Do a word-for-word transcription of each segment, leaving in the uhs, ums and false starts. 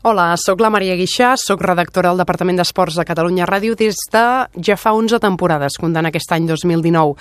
Hola, sóc la Maria Guixà, sóc redactora del Departament d'Esports de Catalunya Ràdio des de ja fa onze temporades, comptant aquest any dos mil dinou.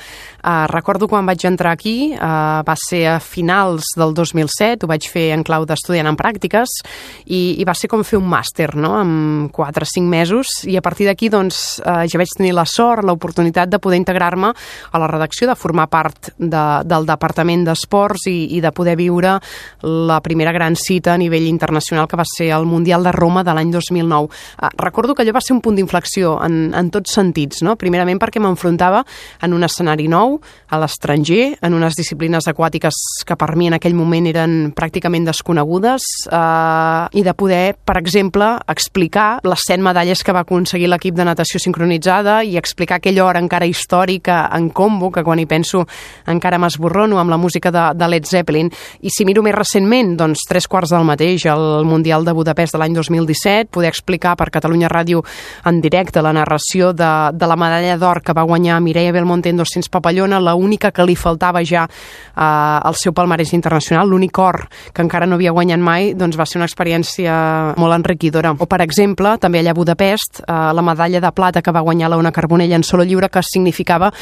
Uh, recordo quan vaig entrar aquí, uh, va ser a finals del dos mil set, ho vaig fer en clau d'estudiant en pràctiques i, i va ser com fer un màster, no?, en quatre o cinc mesos, i a partir d'aquí doncs, uh, ja vaig tenir la sort, l'oportunitat de poder integrar-me a la redacció, de formar part de, del Departament d'Esports i, i de poder viure la primera gran cita a nivell internacional que va ser el Mundial de Roma de l'any dos mil nou. Uh, recordo que allò va ser un punt d'inflexió en, en tots sentits, no? Primerament perquè m'enfrontava en un escenari nou, a l'estranger, en unes disciplines aquàtiques que per mi en aquell moment eren pràcticament desconegudes, uh, i de poder, per exemple, explicar les set medalles que va aconseguir l'equip de natació sincronitzada i explicar aquella hora encara històrica en combo, que quan hi penso encara m'esborrono amb la música de, de Led Zeppelin. I si miro més recentment, doncs tres quarts del mateix, el Mundial de Budapest de l'any dos mil disset, poder explicar per Catalunya Ràdio en directe la narració de, de la medalla d'or que va guanyar Mireia Belmonte en dos cents papallona, la única que li faltava ja eh, al seu palmarès internacional, l'únic or que encara no havia guanyat mai, doncs va ser una experiència molt enriquidora. O, per exemple, també allà a Budapest, eh, la medalla de plata que va guanyar l'Ona Carbonell en solo lliure, que significava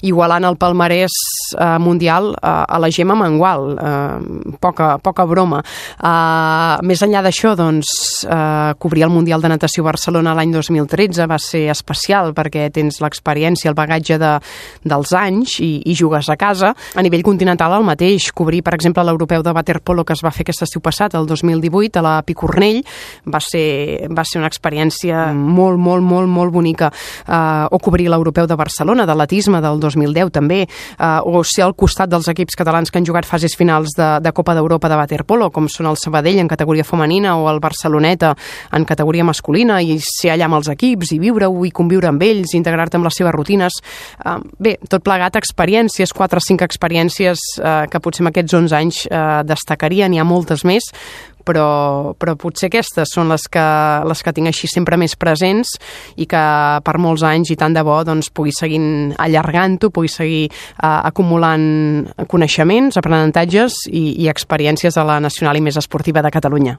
igualant el palmarès eh, mundial eh, a la Gemma Mengual. Eh, poca, poca broma. Eh, més enllà d'això, doncs, eh, cobrir el Mundial de Natació Barcelona l'any dos mil tretze va ser especial perquè tens l'experiència, el bagatge de, dels anys i, i jugues a casa. A nivell continental el mateix, cobrir, per exemple, l'Europeu de Waterpolo que es va fer aquest estiu passat, el dos mil divuit, a la Picornell, va ser, va ser una experiència molt, molt, molt, molt bonica. Eh, o cobrir l'Europeu de Barcelona, d'atletisme, del dos mil deu també, eh, o ser al costat dels equips catalans que han jugat fases finals de, de Copa d'Europa de Waterpolo, com són el Sabadell en categoria femenina o el Barceloneta en categoria masculina, i ser allà amb els equips i viure-ho i conviure amb ells, integrar-te amb les seves rutines. Uh, bé, tot plegat experiències, quatre o cinc experiències uh, que potser en aquests onze anys uh, destacarien, hi ha moltes més, però, però potser aquestes són les que, les que tinc així sempre més presents i que per molts anys i tant de bo doncs, pugui seguir allargant-ho, pugui seguir uh, acumulant coneixements, aprenentatges i, i experiències a la nacional i més esportiva de Catalunya.